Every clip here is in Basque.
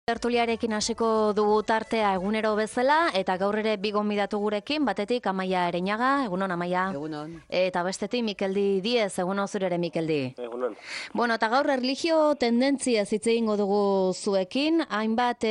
Tertuliarekin hasiko dugu tartea egunero bezala, eta gaur ere bi gonbidatu gurekin, batetik Amaia Ereñaga, egunon Amaia. Egunon. Eta bestetik Mikeldi Diez, egunon zure ere Mikeldi. Egunon. Bueno, eta gaur erlijio tendentzia hitz egingo dugu zuekin, hainbat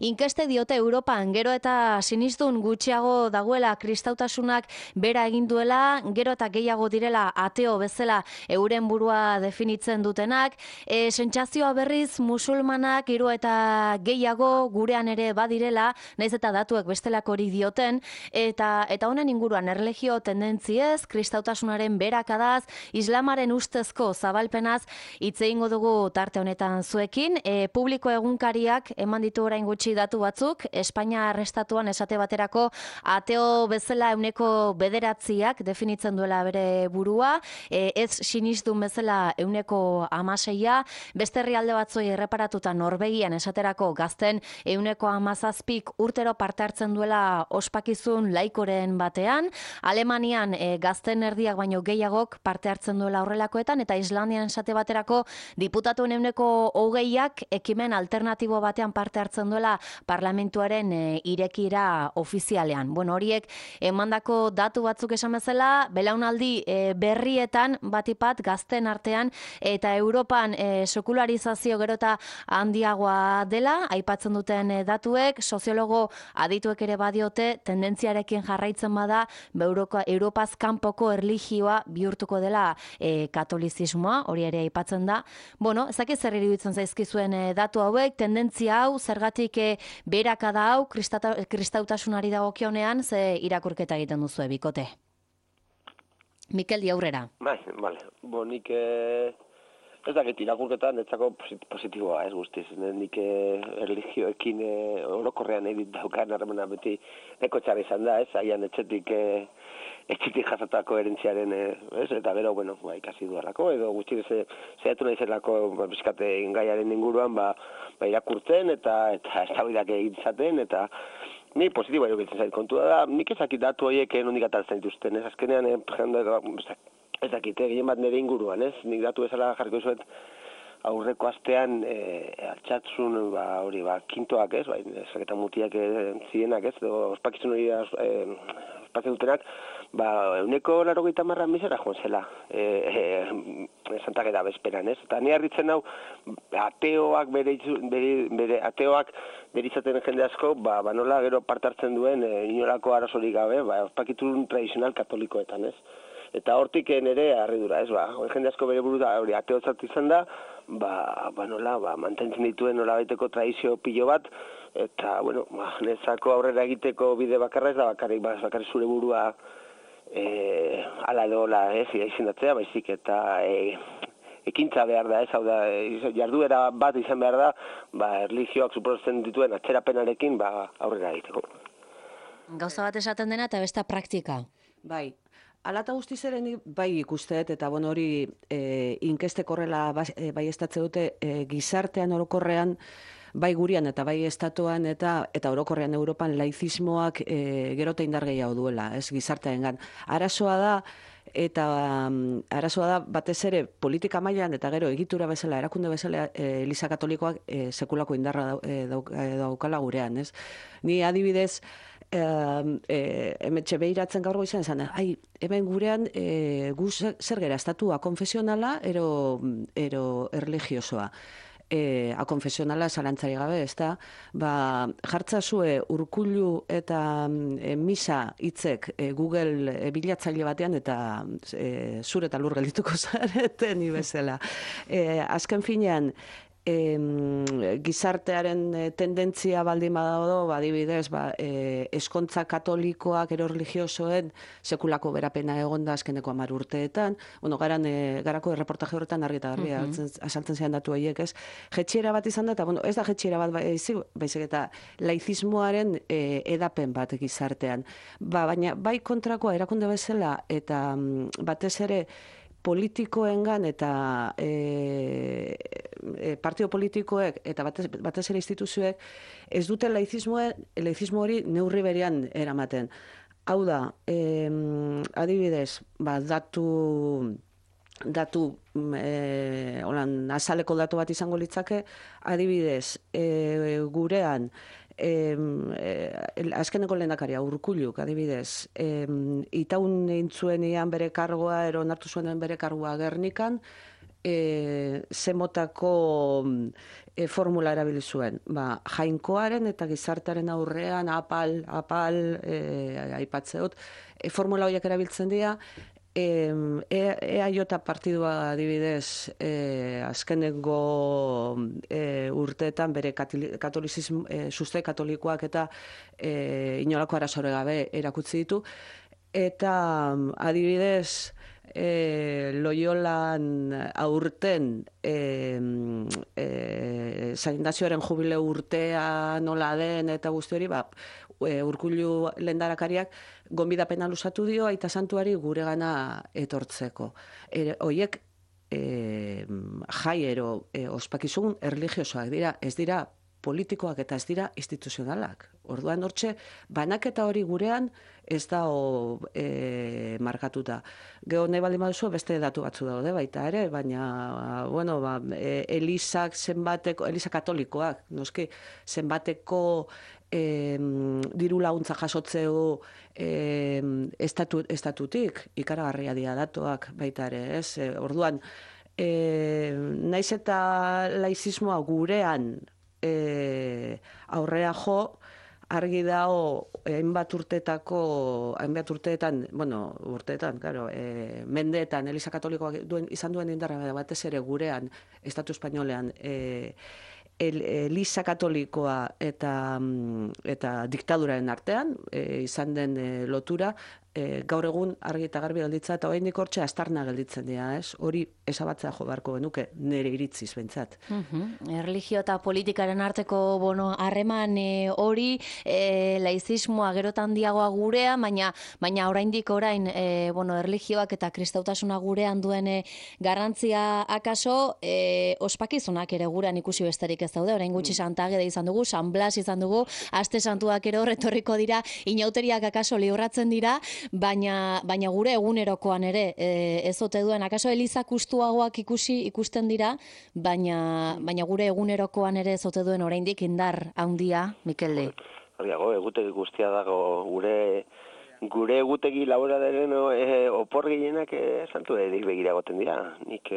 inkeste diote Europan, gero eta sinistun gutxiago dagoela kristautasunak bera egin duela, gero eta gehiago direla ateo bezala euren burua definitzen dutenak, sentsazioa berriz musulmanak hiru eta gehiago gurean ere badirela, naiz eta datuek bestelako hori dioten, eta honen inguruan erlijio tendentziez, kristautasunaren berakadaz, islamaren ustezko zabalpenaz hitz egingo dugu tarte honetan zuekin. Publiko egunkariak eman ditu orain gutxi datu batzuk, Espainia estatuan esate baterako ateo bezala 9% definitzen duela bere burua, ez sinistun bezala 16%, beste herrialde batzuei erreparatuta Norvegian esaterako gazten 17% urtero parte hartzen duela ospakizun laikoren batean, Alemanian gazten erdiak baino gehiagok parte hartzen duela horrelakoetan, eta Islandian esate baterako diputatuen 20%ak ekimen alternatibo batean parte hartzen duela parlamentuaren irekira ofizialean. Bueno, horiek emandako datu batzuk esan bezala, belaunaldi berrietan batipat gazten artean eta Europan sekularizazio gero eta handiagoa dela, aipatzen duten datuek, soziologo adituek ere badiote, tendentziarekin jarraitzen bada, Europaz kanpoko erlijioa bihurtuko dela katolizismoa, hori ere aipatzen da. Bueno, ezak zer iruditzen zaizkizuen datu hauek, tendentzia hau, zergatik beherakada hau, kristautasunari dagokionean, ze irakurketa egiten duzu bikote. Mikeldi aurrera. Bai, bale. Nik ez dakit irakurketan netzako positiboa, ez guztiz. Nik erlijioekin orokorrean egin daukan harremana beti neko txarra izan da, ez? Aian etxetik jasatako erentziaren, ez? Eta gero, bueno, ikasi duarrako, edo gutxi zehatu nahi zelako bizkate gaiaren inguruan, irakurtzen eta eztabaidak egin zaten, eta ni positiboa erokitzen zait kontua da, nik ezakit datu horiek nondik ataltzen dituzten, ez? Azkenean, ez dakit, gehien bat nire inguruan, ez? Nik datu bezala jarriko zuet aurreko astean altxatzun, kintoak, ez? Eta mutiak zienak, ez? Ospakizun hori ospatzen dutenak, 90% misera joan zela, Santa Gera bezperan, ez? Eta ni harritzen hau, ateoak ateoak bere izaten jende asko, nola gero parte hartzen duen inolako arazorik gabe, ospakizun tradizional katolikoetan, ez? Eta hortik nire harridura, ez? Jende asko bere buru da, hori ateotzat izan da, mantentzen dituen nola baiteko tradizio pilo bat, eta, nezako aurrera egiteko bide bakarra ez da bakarrik zure burua ala edola, ez, izendatzea, baizik, eta ekintza behar da, ez, hau da, jarduera bat izan behar da, erlijioak suposatzen dituen atzerapenarekin aurrera egiteko. Gauza bat esaten dena eta besta praktika. Bai. Ala eta guztiz ere bai ikusteet, eta hori inkestek horrela bai estatze dute gizartean orokorrean, bai gurian eta bai estatuan eta orokorrean Europan laizismoak gero eta indar gehiago duela, ez gizartearengan. Arazoa da batez ere politika mailan eta gero egitura bezala, erakunde bezala Eliza Katolikoak sekulako indarra daukala gurean, ez? Ni adibidez, hemetxe behiratzen gaur goizan esan, hemen gurean gu zer gera, estatua konfesionala ero erlijiosoa. Konfesionala zalantzari gabe, ez da, jartzazue urkullu eta misa hitzek Google bilatzaile batean eta zure eta lur geldituko zareten bezala. Azken finean, gizartearen tendentzia baldin badago, adibidez, eskontza katolikoak ero religiosoen sekulako berapena egonda azkeneko 10 urteetan. Garako erreportaje horretan argi eta garbi azaltzen zean datu horiek, ez? Jetxiera bat izan da, eta ez da jetxiera bat baizik eta laizismoaren edapen bat gizartean. Baina bai kontrakoa erakunde bezala eta batez ere politikoengan eta partio politikoek eta batez ere instituzioek ez dute laizismo hori neurri berean eramaten. Hau da, adibidez, datu holan azaleko datu bat izango litzake, adibidez, gurean, azkeneko lehendakaria Urkulluk, adibidez, itaun intzuenean bere kargoa, onartu zuen bere kargoa Gernikan, zemotako formula erabili zuen. Jainkoaren eta gizartearen aurrean apal, aipatzeot, formula horiek erabiltzen dira, EAJ partidua adibidez azkenengo urteetan bere sustrai katolikoak eta inolako arazore gabe erakutsi ditu, eta adibidez Loyolan aurten San jubileo urtea nola den eta guzti hori, Urkullu lehendarakariak gonbidapena luzatu dio Aita Santuari guregana etortzeko. Hoiek jaiero ospakizun erlijiosoak dira, ez dira politikoak eta ez dira instituzionalak. Orduan hortxe, banaketa hori gurean ez da markatuta. Gero nahi baldin baduzu beste datu batzu daude baita ere, baina, Elizak zenbateko, Eliza katolikoak, noski, zenbateko diru laguntza jasotzeo estatutik, ikaragarria dira datuak baita ere, ez? Orduan, naiz eta laizismoa gurean aurrea jo, argi dago hainbat urteetan, mendeetan Eliza Katolikoak izan duen indarra batez ere gurean, Estatu Espainolean, Eliza Katolikoa eta diktaduraren artean izan den lotura, gaur egun argi eta garbi gelditza, eta oraindik hortxe aztarna gelditzen dira, ez? Hori ezabatzea jo beharko genuke, nire iritziz behintzat. Erlijio eta politikaren arteko harreman hori, laizismoa gerotan diagoa gurea, baina oraindik erlijioak eta kristautasuna gurean duen garrantzia akaso, ospakizunak ere gurean ikusi besterik ez daude, orain gutxi Santa Ageda izan dugu, San Blas izan dugu, aste santuak ere horretorriko dira, inauteriak akaso libratzen dira, baina gure egunerokoan ere ez ote duen, akaso Eliza kustuagoak ikusten dira, baina gure egunerokoan ere ez ote duen oraindik indar handia, Mikelde. Horiago, egutegi guztia dago, gure egutegi laboralaren opor gehienak santu edik begira goten dira. Nik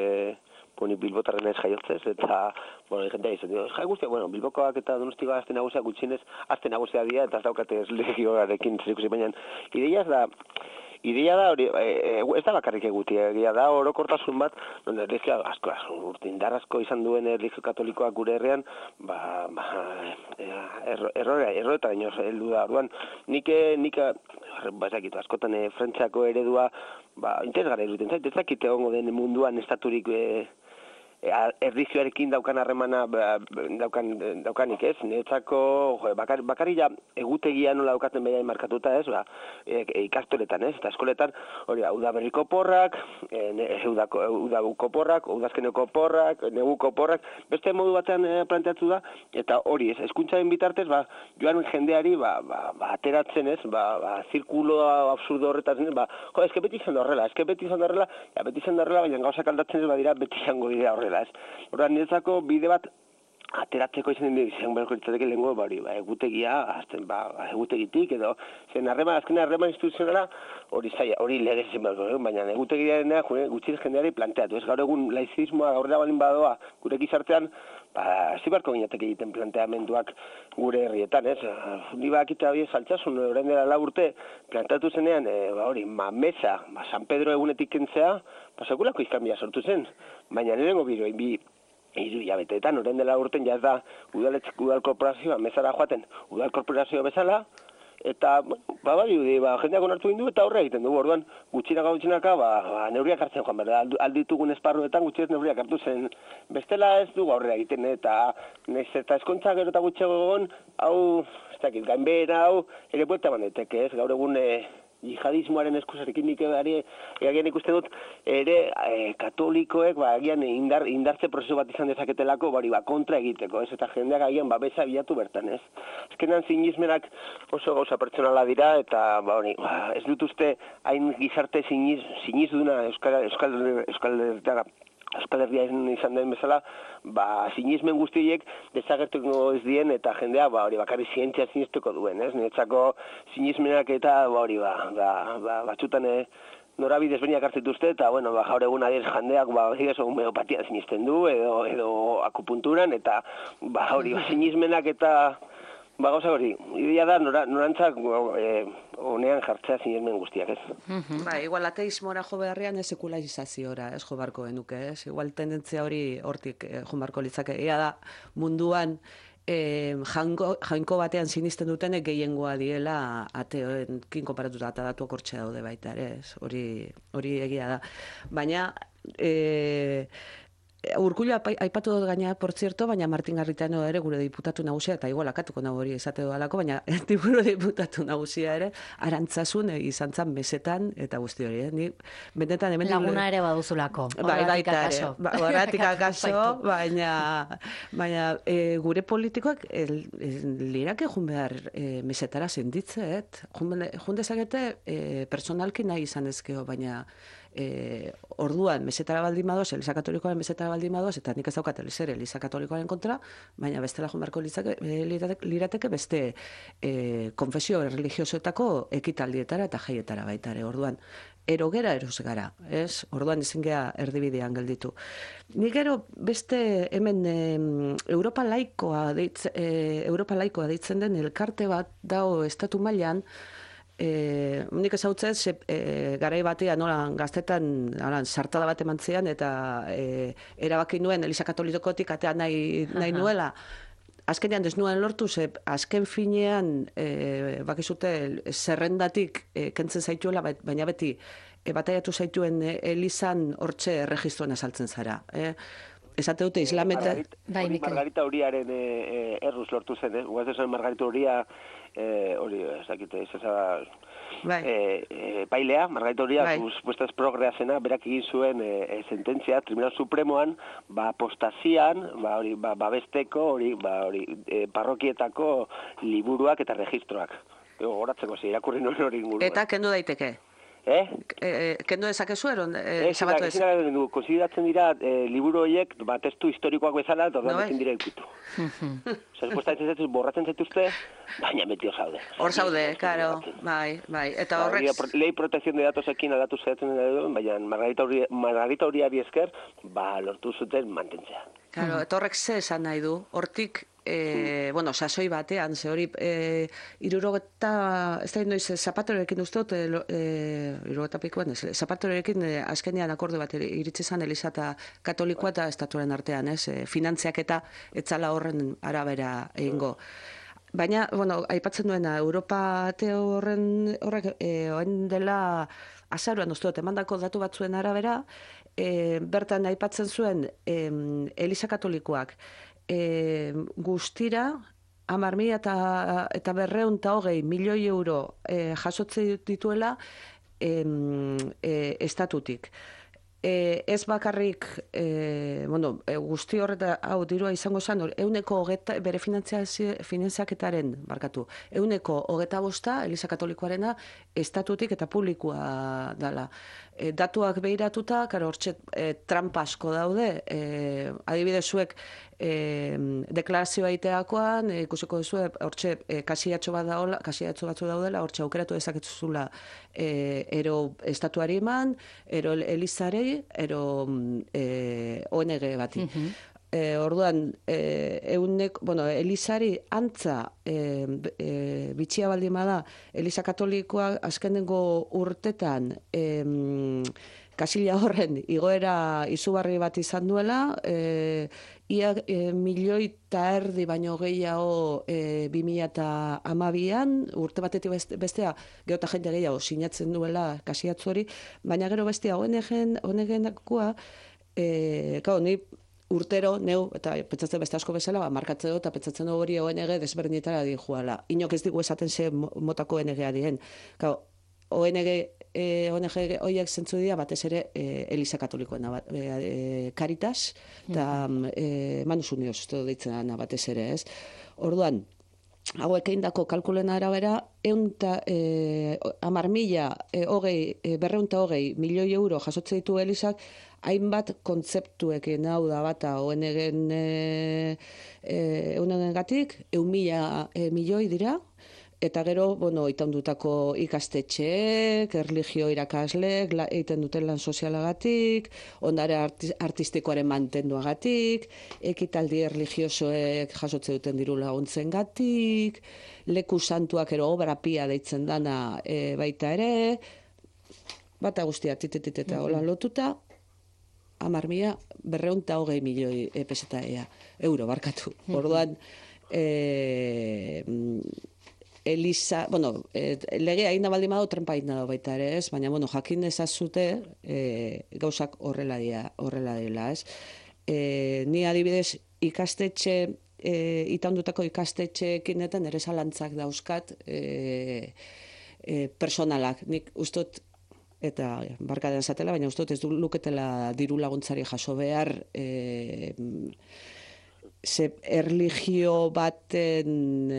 Bilbotarren ez jaiotzez, eta, jentea izan dira, jai guztia, Bilbokoak eta Donostikoa azte nagusiak gutxinez, azte nagusia dira, eta ez daukate legioarekin zerikusi, baina ideia da hori, ez da bakarrik egutia, egia da orokortasun bat, erlijio indar asko izan duen erlijio katolikoak gure herrian, erroreta baino heldu da, orduan, nik askotan Frantziako eredua, interesgarria iruditen zait, ez dakit egongo den munduan estaturik erlijioarekin daukan harremana daukanik, ez? Niretzako bakarria egutegia nola daukaten behain markatuta, ez? Ikastoletan, ez? Eta eskoletan, hori, udaberriko porrak, udabuko porrak, udazkeneko porrak, neguko porrak, beste modu batean planteatu da, eta hori, ez? Hezkuntzaren bitartez, joan jendeari, ateratzen, ez? Zirkulo absurdo horretan, eske beti izan da horrela, baina gauzak aldatzen ez badira, beti izango dira horrela. Horren niretzako bide bat ateratzeko izan beharko litzateke lehengo egutegia, egutegitik edo azken harreman instituzionala hori legez izan beharko, baina egutegiaren gutxi jendeari planteatu. Ez gaur egun laizismoa gaurrera balin badoa gure gizartean, ez beharko ginateke egiten planteamenduak gure herrietan, ez? Ni bakita hori saltzasun, orain dela 4 urte planteatu zenean, mesa, San Pedro egunetik kentzea, sekulako izkanbia sortu zen, baina nirengo hiru hilabeteetan, orain dela urten ez da udal korporazioa mesara joaten udal korporazio bezala, eta jendeak onartu egin du eta horre egiten dugu, orduan gutxinaka neurriak hartzen joan behar, alditugun esparruetan gutxinez neurriak hartu zen, bestela ez dugu aurrera egiten, eta eskontza gero eta gutxego egon, hau, ez dakit, gainbehera hau, ere buelta bandeteke, ez, gaur egun jihadismoaren eskusarekin nik egian ikusten dut, ere katolikoek agian indartze prozesu bat izan dezaketelako kontra egiteko, ez, eta jendeak agian babesa bilatu bertan, ez. Azkenan sinismenak oso gauza pertsonala dira, eta ez dut uste hain gizarte sinizuduna Euskal Euskal Herria izan den bezala, sinismen guztiek desagertuko ez dien eta jendea hori bakarrik zientzia sinistuko duen, ez? Niretzako sinismenak eta batzutan norabide ezberdinak hartzen dituzte eta gaur egun adiez jendeak homeopatia sinisten du edo akupunturan eta hori sinismenak eta gauza hori, ideia da norantzak honean jartzea sinismen guztiak, ez? Igual ateismora jo beharrean ez sekularizazioa ez jo barko genuke, ez? Igual tendentzia hori hortik jo barko litzake. Ea da munduan jainko batean sinisten dutenek gehiengoa diela ateoekin konparatuta eta datuak hortxe daude baita ere, ez? Hori egia da. Baina Urkullu aipatu dut gaina, por cierto, baina Martin Garritano ere gure diputatu nagusia, eta igual akatuko nago hori esate dudalako, baina gure diputatu nagusia ere, Arantzasun izan zan mesetan, eta guzti hori, ni benetan hemen... Laguna ere baduzulako, horretik akaso. Horretik akaso, baina gure politikoak lirake jun behar mesetara senditzeet, jun dezakete personalki nahi izan ezkeo, baina orduan mesetara baldin badoz, Eliza Katolikoaren mesetara baldin badoz, eta nik ez daukat Eliza Katolikoaren kontra, baina bestela joan beharko lirateke beste konfesio religiosoetako ekitaldietara eta jaietara baita ere. Orduan, erogera eros gara, ez? Orduan ezin gea erdibidean gelditu. Nik gero beste hemen Europa laikoa deitzen den elkarte bat dago estatu mailan, nik ezautzez, garai batean gaztetan sartada bat emantzean eta erabaki nuen Eliza Katolikotik atea nahi nuela. Azkenean ez nuen lortu, azken finean bakizute zerrendatik kentzen zaituela, baina beti bataiatu zaituen Elizan hortxe erregistroan azaltzen zara. Esate dute islameta... Margarita Uriaren erruz lortu zen, guaz esan Margarita Uria hori, ezakite, pailea, Margarita Uria, supuestaz progrea zena, berak egin zuen sententzia, Tribunal Supremoan, apostazian, babesteko, parrokietako liburuak eta registroak. Horatzeko, irakurri nuen hori inguruen. Eta kendu daiteke? Kendu dezakezu eron? Konsideratzen dira liburu horiek testu historikoak bezala eta orduan ezin dira ikutu. Borratzen zaituzte, baina metio zaude. Hor zaude, karo, bai. Eta horrek... Lei protección de datosekin aldatu zaitzen dira, baina Margarita Uriari esker, lortu zuten mantentzea. Karo, eta horrek ze esan nahi du, hortik sasoi batean, ze hori, ez da noiz, Zapatorekin ustot, irurogeta Zapatorekin azkenean akorde bat iritsi zan Eliza eta Katolikoa eta estatuaren artean, finantziak eta etzala horren arabera egingo. Baina, aipatzen duena, Europa ateo horrek, oen dela azaruan ustot, emandako datu batzuen arabera, bertan aipatzen zuen Eliza Katolikoak, guztira 10.000 eta 220 milioi euro jasotze dituela estatutik. Ez bakarrik, guzti horreta, dirua izango zen, bere finanziaketaren, 125 Eliza Katolikoarena estatutik eta publikoa dela. Datuak behiratuta, hortxe trampa asko daude, adibidez zuek deklarazioa iteakoan, ikusiko duzu, hortxe kasiatxo batzu daudela, hortxe aukeratu dezaketzuzula ero estatuari eman, ero Elizarei, ero ONG bati. Orduan, Elizari antza bitxia baldin bada, Eliza Katolikoa azkenengo urtetan kasila horren igoera izugarri bat izan duela, ia 1,5 milioi baino gehiago 2012an, urte batetik bestea, geota jende gehiago sinatzen duela kasiatzu hori, baina gero bestea ONG-nakoa, ni urtero, neu, eta pentsatzen beste asko bezala, markatzen dut, eta pentsatzen du hori ONG desberdinetara di joala. Inok ez digu esaten ze motako ONG-a dien. ONG horiek zentzu dira, batez ere Eliza Katolikoena, Caritas, eta Manus Unidos, deitzen batez ere, ez? Orduan, hauek eindako kalkulen arabera, 200 milioi euro jasotze ditu Elisak, hainbat kontzeptuekin, hau da bata, gatik, 1.000 milioi dira, eta gero, itaundutako ikastetxeek, erlijio irakasleek, egiten duten lan sozialagatik, ondare artistikoaren mantenduagatik, ekitaldi erlijiosoek jasotze duten diru laguntzen gatik, leku santuak ero obra pia deitzen dana baita ere, bata guztia titititeta holan lotuta, 10.220 milioi peseta euro barkatu. Orduan, Elisa, legea egin da baldin badago, trenpa egin da baita ere, ez? Baina, jakin ezazute gauzak horrela dela, ez? Ni adibidez ikastetxe, itaundutako ikastetxeekinetan ere zalantzak dauzkat personalak. Nik ustot, eta barkadean zatela, baina ustot ez du luketela diru laguntzari jaso behar erlijio baten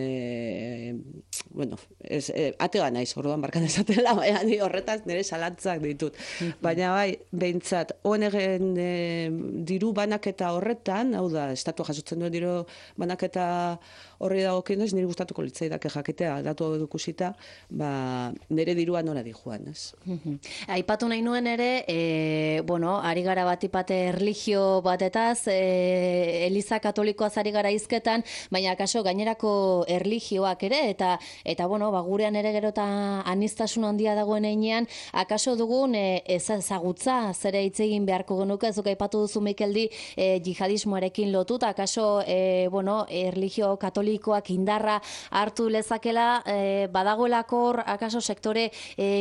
atega naiz, orduan barkan ezatela, baina ni horretaz nire salantzak ditut. Baina bai, behintzat, ONG-en diru banaketa horretan, hau da, estatua jasotzen duen diru banaketa horri dagokienez, nire gustatuko litzaidake jakitea, datu hau edukusita, nire dirua nola di joan, ez? Aipatu nahi nuen ere, ari gara batipate erlijio batetaz, Eliza Katolikoaz ari gara hizketan, baina kaso gainerako erlijioak ere, eta gurean ere gero eta aniztasun handia dagoen einean, akaso dugun ezagutza zere hitz egin beharko genuke, ez duk aipatu duzu Mikeldi jihadismoarekin lotuta, akaso erlijio katolikoak indarra hartu lezakela, badagoelako akaso sektore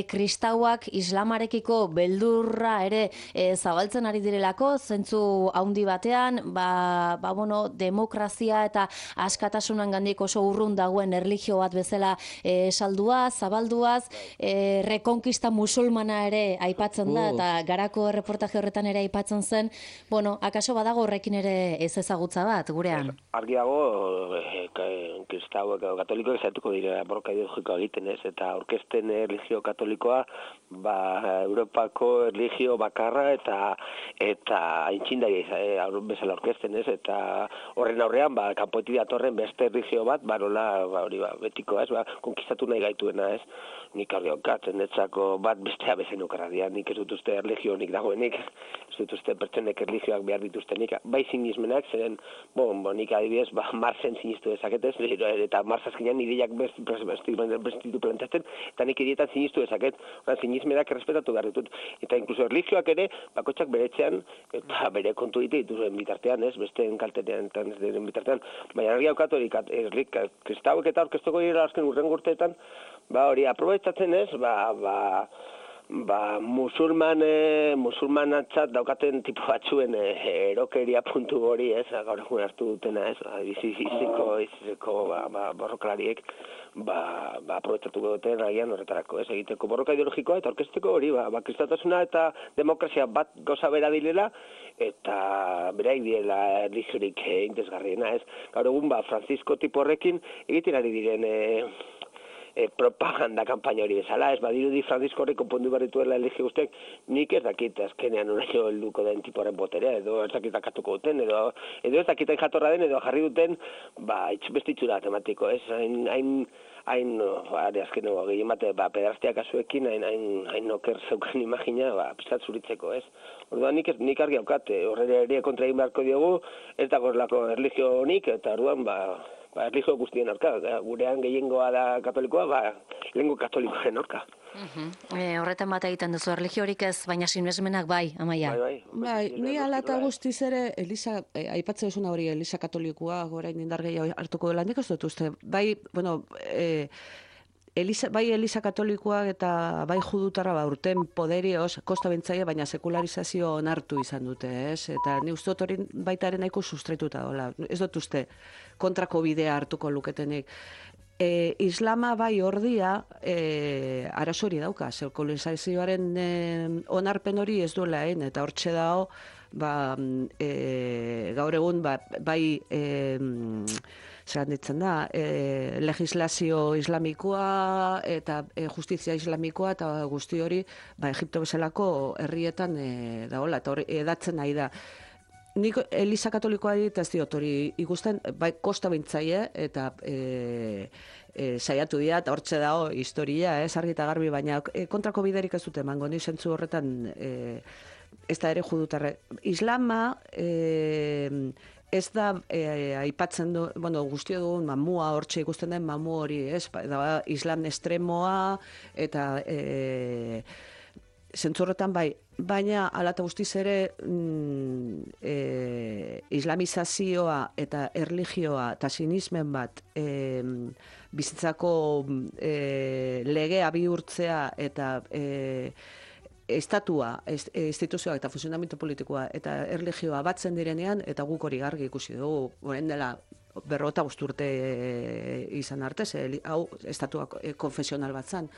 kristauak islamarekiko beldurra ere zabaltzen ari direlako, zentzu handi batean, demokrazia eta askatasunan gandik oso urrun dagoen erlijio bat bezala salduaz, zabalduaz, rekonkista musulmana ere aipatzen da, eta garako erreportaje horretan ere aipatzen zen, akaso badago horrekin ere ez ezagutza bat, gurean? Argiago, kristauek edo katolikoek zaiatuko dira borroka ideologikoa egiten ez, eta aurkezten erlijio katolikoa, Europako erlijio bakarra eta aintzindari bezala aurkezten ez, eta horren aurrean, kanpoetik datorren beste erlijio bat, betiko ez, konkistatu nahi gaituena ez, nik argiokatzen netzako bat bestea bezen okarradia, nik ez dut uste erlijionik dagoenik, ez dut uste pertsonek erlijioak behar dituztenik, bai sinismenak, zeren, nik adibidez, Marsen sinistu dezaketez, eta Marsazkinean ideiak bestitu plantatzen, eta nik idietan sinistu dezaket, sinismenak errespetatu behar ditut, eta inkluso erlijioak ere, bakotxak beretzean, eta bere kontu dituen bitartean, ez, besteen kaltetean, ez diren bitartean, baina argi haukatu kristauek eta orkestuko dira azken urrengo urteetan, hori aprobetxatzen ez, musulmanatzat daukaten tipo batzuen erokeria puntu hori ez, gaur egun hartu dutena ez, izizeko borrokalariek, aprobetxatuko duten agian horretarako ez, egiteko borroka ideologikoa eta orkesteko hori, kristautasuna eta demokrazia bat goza bera dilela, eta beraik direla erlijiorik interesgarriena ez. Gaur egun, Francisco tipo horrekin egiten ari diren propaganda kampaina hori bezala, ez badirudi Francisco horrek konpondu behar dituela erlijio guztiak, nik ez dakit azkenean horaino helduko den tiporen boterea, edo ez dakit akatuko duten, edo ez dakiten jatorra den, edo jarri duten, beste itxura tematiko, ez, azken gehien bate, pedrastiak asuekin, hain oker zeukan imagina, pizat zuritzeko, ez. Orduan nik argi haukat, horre ere kontra egin beharko diogu, ez dagoelako erlijio honik, eta orduan, erlijio guztien aurka, gurean gehiengoa da katolikoa, lehengo katolikoaren aurka. Horretan bat egiten duzu, erlijiorik ez, baina sinesmenak bai, Amaia. Bai, ni ala eta guztiz ere, aipatzen duzuna hori, Eliza katolikoa, orain indar gehiago hartuko dela, nik ez dut uste, bai Eliza katolikoak eta bai judutarra urten poderioz, kosta bentzaia, baina sekularizazio onartu izan dute, ez? Eta ni uste dut hori baitaren nahiko sustraituta dola. Ez dut uste kontrako bidea hartuko luketenik. Islama bai ordia arazo hori dauka, sekularizazioaren onarpen hori ez duela, eta hortxe dago, gaur egun bai zer ditzen da, legislazio islamikoa eta justizia islamikoa eta guzti hori, Egipto bezalako herrietan dagoela, eta hori edatzen nahi da. Nik Eliza Katolikoa ez diot hori ikusten, bai kosta bintzaie, eta saiatu dira, eta hortxe dago historia, argi eta garbi, baina kontrako biderik ez dute emango, ni zentzu horretan ez da ere judutarre. Islama ez da aipatzen du, guztio dugun mamua, hortxe ikusten den mamu hori, da islam estremoa, eta zentzu horretan bai, baina ala eta guztiz ere islamizazioa eta erlijioa eta sinismen bat bizitzako legea bihurtzea eta estatua, instituzioa eta funtzionamendu politikoa eta erlijioa batzen direnean, eta guk hori gargi ikusi dugu, orain dela 55 urte izan arte, hau estatua konfesional bat zan.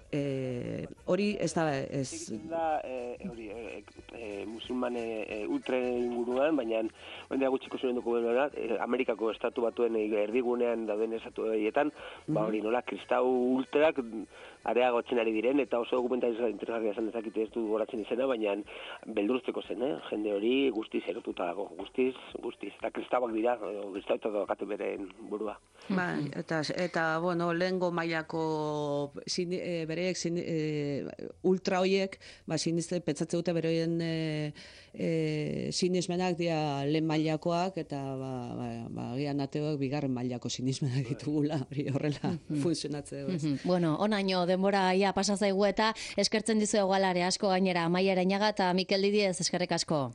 Hori ez da musulman ultren inguruan, baina ondea gutxiko zuen duko Amerikako estatu batuen erdigunean dauden estatu horietan, hori nola kristau ultrak areagotzen ari diren, eta oso dokumentalizazioa interesgarria esan dezakite ez du goratzen izena, baina beldurtzeko zen, jende hori guztiz erotuta dago, guztiz, eta kristauak dira, kristauetak dakate beren burua. Eta lehengo mailako bereek ultra hoiek, siniste pentsatze dute beroien sinismenak dira lehen mailakoak, eta gian ateoak bigarren mailako sinismenak ditugula, hori horrela funtzionatzea. Bueno, onaino denbora ia pasa zaigu eta eskertzen dizu egualare asko gainera Amaia Arainaga eta Mikel Didiez eskerrik asko.